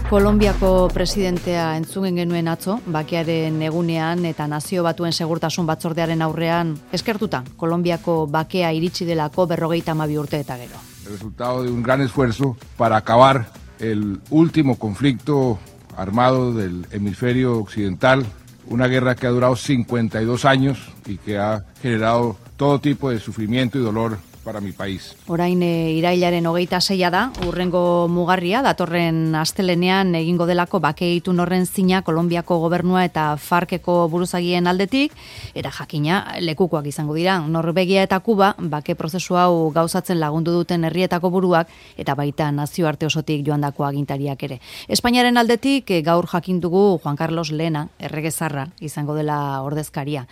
Kolonbiako presidentea entzun genuen atzo, bakearen egunean eta Nazio Batuen Segurtasun Batzordearen aurrean eskertuta Kolonbiako bakea iritsi delako 52 urte eta gero. El resultado de un gran esfuerzo para acabar el último conflicto armado del hemisferio occidental, una guerra que ha durado 52 años y que ha generado todo tipo de sufrimiento y dolor para mi país. Orain irailaren 26 da, urrengo mugarria, datorren astelenean egingo delako bake itun horren zina Kolonbiako gobernua eta FARC-eko buruzagien aldetik, era jakina lekukoak izango dira. Norvegia eta Kuba bake prozesu hau gauzatzen lagundu duten herrietako buruak eta baita nazioarte osotik joandako agintariak ere. Espainiaren aldetik gaur jakin dugu Juan Carlos Lehena, erregezarra izango dela ordezkaria.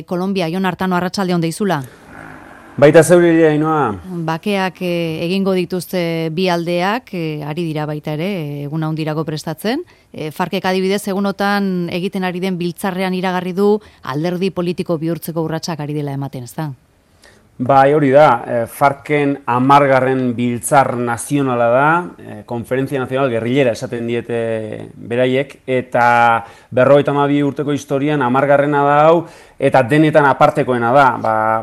Kolonbia, Jon Artano, arratsalde on deizula. Baita zeureria, Ainoa. Bakeak egingo dituzte bi aldeak, ari dira baita ere, egun handirako prestatzen. FARC-ek adibidez, egunotan egiten ari den biltzarrean iragarri du alderdi politiko bihurtzeko urratsak ari dela ematen, ez da? Bai, hori da, FARC-en 10. biltzar nazionala da, Konferentzia Nazional Gerrillera esaten diete beraiek, eta 52 urteko historian 10. da hau, eta denetan apartekoena da,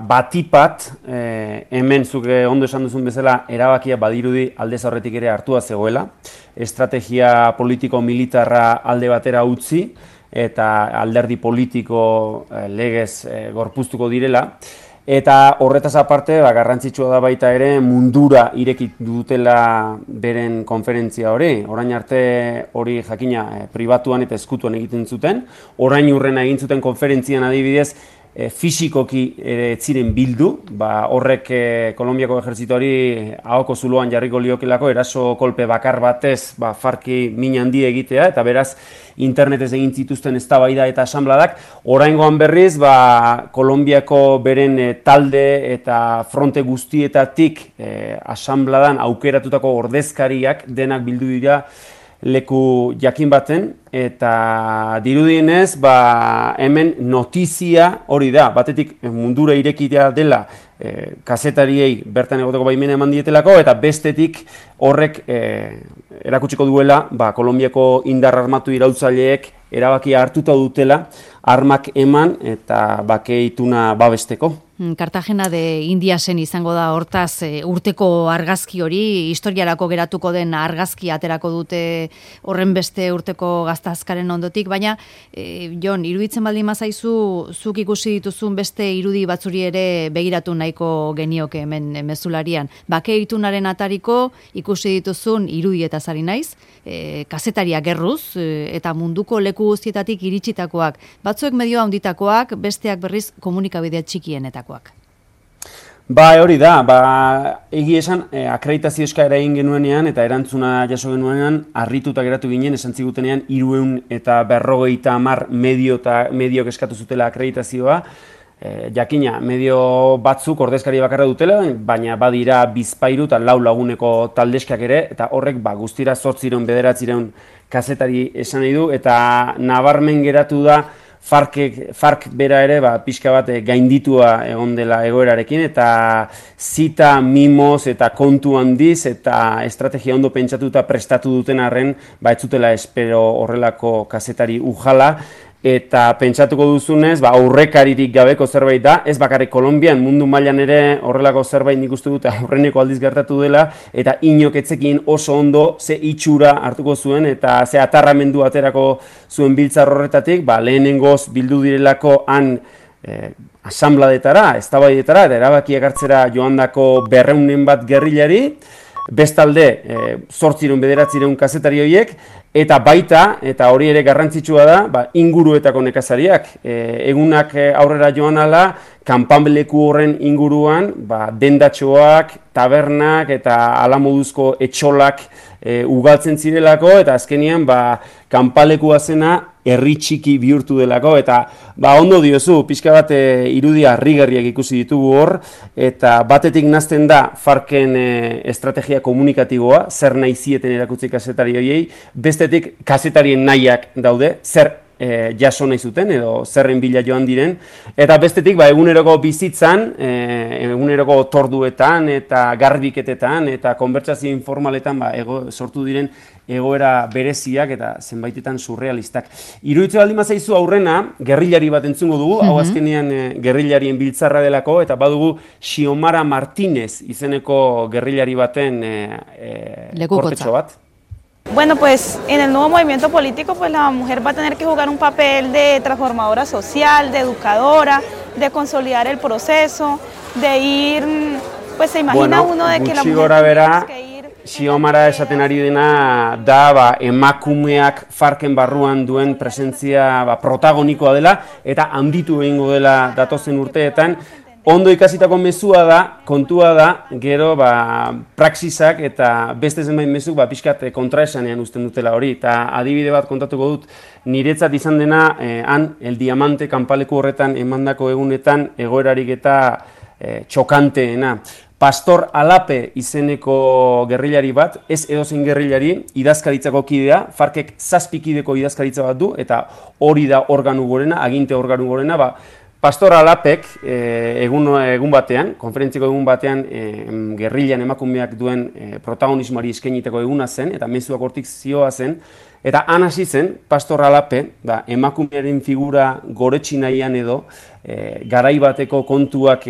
batipat, hemen zuke ondo esan duzun bezala, erabakia badirudi aldez aurretik ere hartua zegoela, estrategia politiko-militarra alde batera utzi, eta alderdi politiko legez gorpuztuko direla, eta horretaz aparte, garrantzitsua da baita ere mundura irekit dutela beren konferentzia hori. Orain arte hori jakina pribatuan eta ezkutuan egiten zuten. Orain urrena egin zuten konferentzian adibidez, fisikoki ere ziren bildu, horrek Kolonbiako ejertzitoari ahoko zuloan jarriko liokelako eraso kolpe bakar batez FARC-i min handi egitea, eta beraz internetez egin zituzten eztabaida eta asanbladak. Oraingoan berriz, Kolonbiako beren talde eta fronte guztietatik asanbladan aukeratutako ordezkariak denak bildu dira leku jakin baten, eta dirudienez, hemen notizia hori da, batetik mundura irekitea dela kazetariei bertan egoteko baimena eman dietelako, eta bestetik horrek erakutsiko duela, Kolonbiako indar armatu iraultzaileek erabakia hartuta dutela, armak eman eta bake ituna babesteko. Cartagena de Indiasen izango da hortaz urteko argazki hori, historiarako geratuko den argazki aterako dute horren beste urteko gaztazkaren ondotik, baina Jon, iruditzen baldin mazaizu, zuk ikusi dituzun beste irudi batzuri ere begiratu nahiko genioke hemen mezularian. Bake itunaren atariko ikusi dituzun irudietaz ari naiz, kazetariak gerruz eta munduko leku guztietatik iritsitakoak, batzuek medio handitakoak, besteak berriz komunikabidea txikienetakoak. Hori da, egi esan akreditazio eskaera egin genuenean eta erantzuna jaso genuenean harrituta geratu ginen, esan zigutenean 350 mediok eskatu zutela akreditazioa. Jakina, medio batzuk ordezkari bakarra dutela, baina badira 2 eta 4 laguneko taldeskak ere, eta horrek guztira 800-900 kazetari esan nahi du, eta nabarmen geratu da FARC bera ere pixka bat gainditua egon dela egoerarekin, eta zita, mimoz eta kontu handiz eta estrategia ondo pentsatuta prestatu duten arren, ez zutela espero horrelako kazetari ujala, eta pentsatuko duzunez, aurrekaririk gabeko zerbait da, ez bakarrik Kolonbian, mundu mailan ere horrelako zerbait nik uste dut aurreneko aldiz gertatu dela, eta inok etzekin oso ondo ze itxura hartuko zuen, eta ze atarramendu aterako zuen biltzar horretatik, lehenengoz bildu direlako han asanbladetara, eztabaidetara, eta erabakiak hartzera joandako 200 bat gerrilari, bestalde 800-900 kazetari horiek, eta baita, eta hori ere garrantzitsua da, inguruetako nekazariak. Egunak aurrera joan ala, kanpanleku horren inguruan, dendatxoak, tabernak eta alamoduzko etxolak ugaltzen zirelako, eta azkenean kanpalekua zena herri txiki bihurtu delako, eta ondo diozu, pixka bat irudia harrigarriak ikusi ditugu hor, eta batetik nazten da FARC-en estrategia komunikatiboa, zer nahi zieten erakutsi kazetari horiei, bestetik kazetarien nahiak daude, zer jaso nahi zuten, edo zerren bila joan diren, eta bestetik eguneroko bizitzan, eguneroko torduetan eta garbiketetan eta konbertsazio informaletan sortu diren egoera bereziak eta zenbaitetan surrealistak. Iruditzen baldin bazaizu aurrena, gerrilari bat entzungo dugu, hau azkenean gerrilarien biltzarra delako, eta badugu Xiomara Martínez izeneko gerrilari baten kortetxo bat. Bueno, pues en el nuevo movimiento político pues la mujer va a tener que jugar un papel de transformadora social, de educadora, de consolidar el proceso, de ir, pues se imagina uno de que la mujer tiene que ir... Xiomara esaten ari dena da emakumeak farken barruan duen presentzia protagonikoa dela eta handitu egingo dela datozen urteetan. Ondo ikasitako mezua da, kontua da, gero praxisak eta beste zenbait mezuk pixkat kontraesanean uzten dutela hori. Eta adibide bat kontatuko dut, niretzat izan dena, El Diamante kanpaleku horretan emandako egunetan egoerarik eta txokanteena. Pastor Alape izeneko gerrilari bat, ez edozein gerrilari, idazkaritzako kidea, Farkek 7 kideko idazkaritza bat du, eta hori da organu gorena, aginte organu gorena, Pastor Alapek egun batean, konferentziko egun batean, gerrilan emakumeak duen protagonismoari eskainiteko eguna zen, eta mezuak hortik zioa zen, eta han hasi zen, Pastor Alape, emakumearen figura goretsi nahian edo, garai bateko kontuak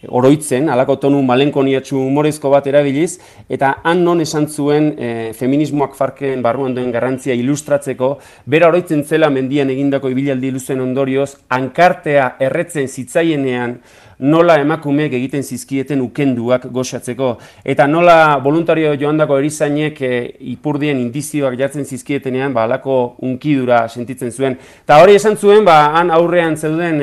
oroitzen, halako tonu malenkoniatsu humorezko bat erabiliz, eta han non esan zuen feminismoak Farken barruan duen garrantzia ilustratzeko, bera oroitzen zela mendian egindako ibilaldi luzen ondorioz, hankartea erretzen zitzaienean, nola emakumeek egiten zizkieten ukenduak goxatzeko, eta nola voluntario joandako erizainek ipurdien indizioak jartzen zizkietenean, halako unkidura sentitzen zuen. Eta hori esan zuen, han aurrean zeuden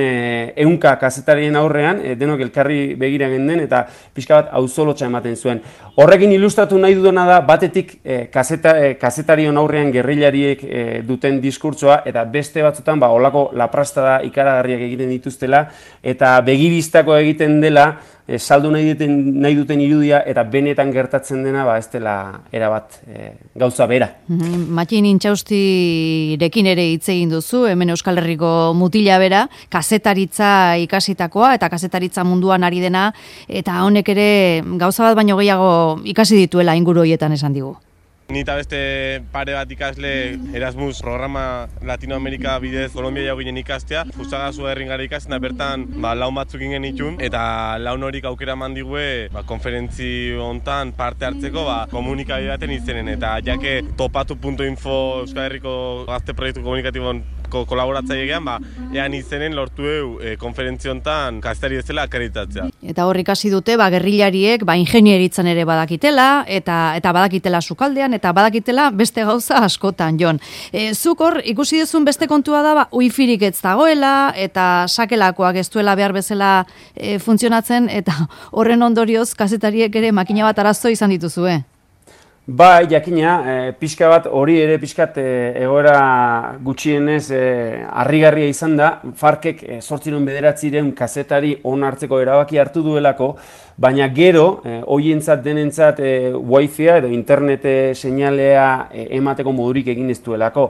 ehunka kazetarien aurrean, denok elkarri begira genden, eta pixka bat auzolotxa ematen zuen. Horrekin ilustratu nahi dudana da, batetik kazetarion aurrean gerrilariek duten diskurtsoa, eta beste batzutan, holako laprastada ikaragarriak egiten dituztela, eta begibista egiten dela, saldu nahi duten irudia eta benetan gertatzen dena ez dela erabat gauza bera. Matxin Intxaustirekin ere hitz egin duzu, hemen Euskal Herriko mutila bera, kazetaritza ikasitakoa eta kazetaritza munduan ari dena, eta honek ere gauza bat baino gehiago ikasi dituela inguru horietan esan digu. Ni eta beste pare bat ikasle Erasmus programa Latinoamerika bidez Kolombia jau ginen ikastea. Fusagazu herringara ikasten da bertan laun batzuk ingen itun eta laun horik aukera mandigue konferentzi hontan parte hartzeko komunikabide baten izenen eta jake topatu.info Euskal Herriko gazte proiektu komunikatibon kolaboratzailean, ean izenen lortu konferentzio hontan kazetari bezala akreditatzea. Eta hor ikasi dute, gerrilariek ingenieritzan ere badakitela, eta badakitela sukaldean, eta badakitela beste gauza askotan, Jon. Zuk hor ikusi duzun beste kontua da, wifirik ez dagoela, eta sakelakoak ez duela behar bezala funtzionatzen, eta horren ondorioz kazetariek ere makina bat arazo izan dituzue. Jakina, pixka bat hori ere pixkat egoera gutxienez harrigarria izan da, Farkek 809 kazetari onartzeko erabaki hartu duelako, baina gero, hoientzat denentzat wifi-a edo internet seinalea emateko modurik egin ez duelako.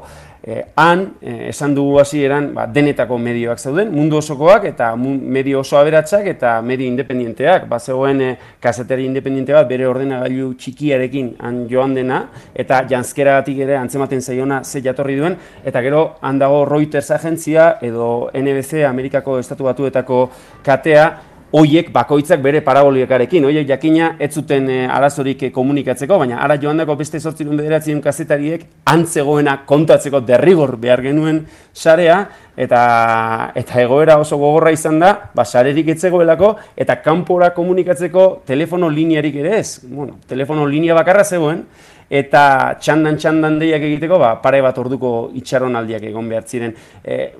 Han, esan dugu hasieran denetako medioak zauden, mundu osokoak eta medio oso aberatsak eta medio independenteak. Bazegoen kazetari independente bat bere ordenagailu txikiarekin han joan dena eta janzkeragatik ere antzematen zaiona ze jatorri duen, eta gero han dago Reuters agentzia edo NBC Amerikako Estatu Batuetako katea, hoiek bakoitzak bere paraboliakarekin, hoiek jakina ez zuten arazorik komunikatzeko, baina ara joandako beste 809 kazetariek antzegoena kontatzeko derrigor behar genuen sarea, eta egoera oso gogorra izan da, sarerik etzegoelako, eta kanpora komunikatzeko telefono linearik ere ez. Telefono linea bakarra zegoen, eta txandan deiak egiteko, pare bat orduko itxaronaldiak egon behar ziren.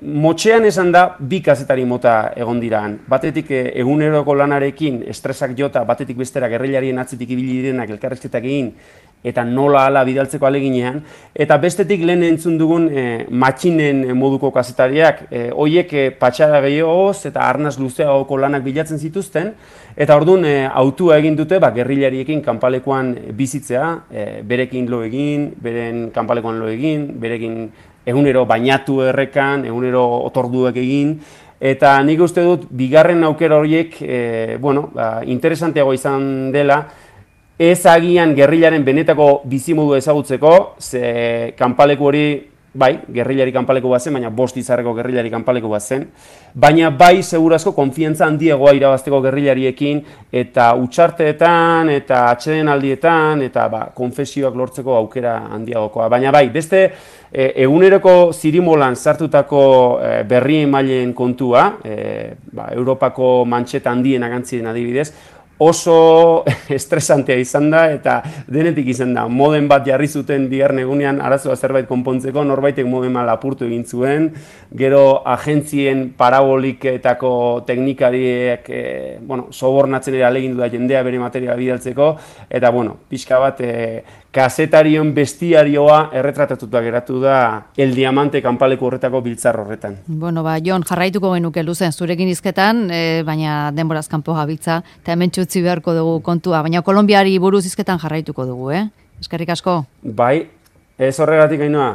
Motxean esan da, 2 kazetari mota egon diraan. Batetik eguneroko lanarekin estresak jota, batetik bestera gerrilarien atzetik ibili direnak elkarrizketak egin, eta nola ala bidaltzeko aleginean, eta bestetik lehen entzun dugun matxinen moduko kazetariak, hoiek patxara gehiagoz eta arnaz luzeagoko lanak bilatzen zituzten, eta orduan autua egin dute gerrilariekin kanpalekuan bizitzea, berekin lo egin, beren kanpalekuan lo egin, berekin egunero bainatu errekan, egunero otorduak egin, eta nik uste dut, bigarren aukera horiek, interesanteago izan dela, ez agian gerrilaren benetako bizimodu ezagutzeko, ze kanpaleku hori, bai, gerrilari kanpaleku bat zen, baina 5 izarreko gerrilari kanpaleku bat zen, baina bai, segurazko konfiantza handiagoa irabazteko gerrilariekin, eta utxarteetan, eta atsedenaldietan, eta konfesioak lortzeko aukera handiagokoa. Baina bai, beste eguneroko zirimolan sartutako berri emaileen kontua, Europako mantxeta handienak antziren adibidez, oso estresantea izan da eta denetik izan da. Modem bat jarri zuten bigarren egunean arazoa zerbait konpontzeko, norbaitek modema lapurtu egin zuen, gero agentzien paraboliketako teknikariek sobornatzen ere ahalegindu da jendea bere materiala bidaltzeko, eta pixka bat kazetarion bestiarioa erretratatuta geratu da El Diamante kanpaleku horretako biltzar horretan. Jon, jarraituko genuke luzen zurekin hizketan, baina denboraz kanpo gabiltza, eta hemen txutzi beharko dugu kontua, baina Kolonbiari buruz hizketan jarraituko dugu, Eskerrik asko. Bai, ez horregatik Ainhoa.